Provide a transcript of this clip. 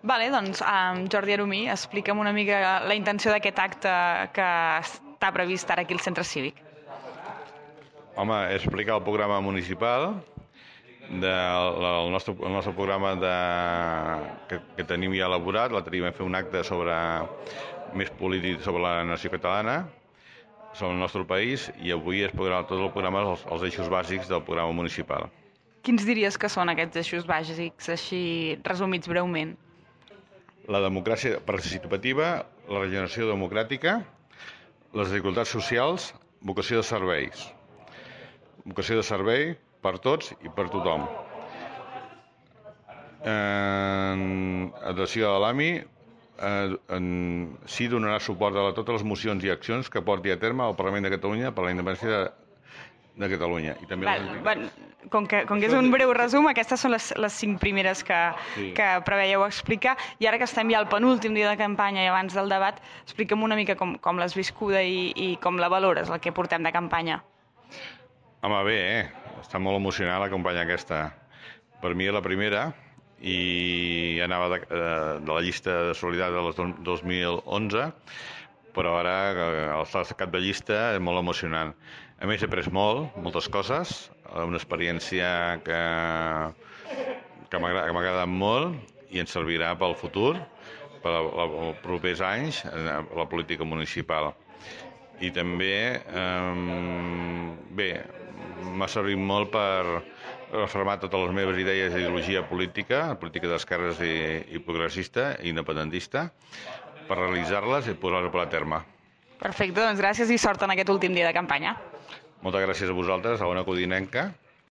Vale, doncs, Jordi Aromí, explica'm una mica la intenció d'aquest acte que està previst ara aquí al Centre Cívic. Home, és explicar el programa municipal, el nostre programa que tenim ja elaborat. L'altre dia vam fer un acte més polític sobre la nació catalana, sobre el nostre país, i avui es podrà tot el programa, els eixos bàsics del programa municipal. Quins diries que són aquests eixos bàsics, així resumits breument? La democràcia participativa, la regeneració democràtica, les desigualtats socials, vocació de serveis. Vocació de servei per tots i per tothom. En adhesió a l'AMI, sí donarà suport a totes les mocions i accions que porti a terme el Parlament de Catalunya per la independència de Catalunya. I també com que és un breu resum, aquestes són les 5 primeres que preveieu explicar, i ara que estem ja al penúltim dia de campanya i abans del debat, explica'm una mica com l'has viscuda i com la valores, el que portem de campanya. Home, bé, està molt emocionant la campanya aquesta. Per mi és la primera, i anava de la llista de solidaritat del 2011, però ara el estar cap de llista és molt emocionant. A més, he après moltes coses, una experiència que m'ha agradat molt i ens servirà pel futur, per als propers anys, la política municipal. I també, m'ha servit molt per reformar totes les meves idees d'ideologia política d'esquerres i progressista i independentista, per realitzar-les i posar-les a terme. Perfecte, doncs gràcies i sort en aquest últim dia de campanya. Moltes gràcies a vosaltres, a Ona Codinenca.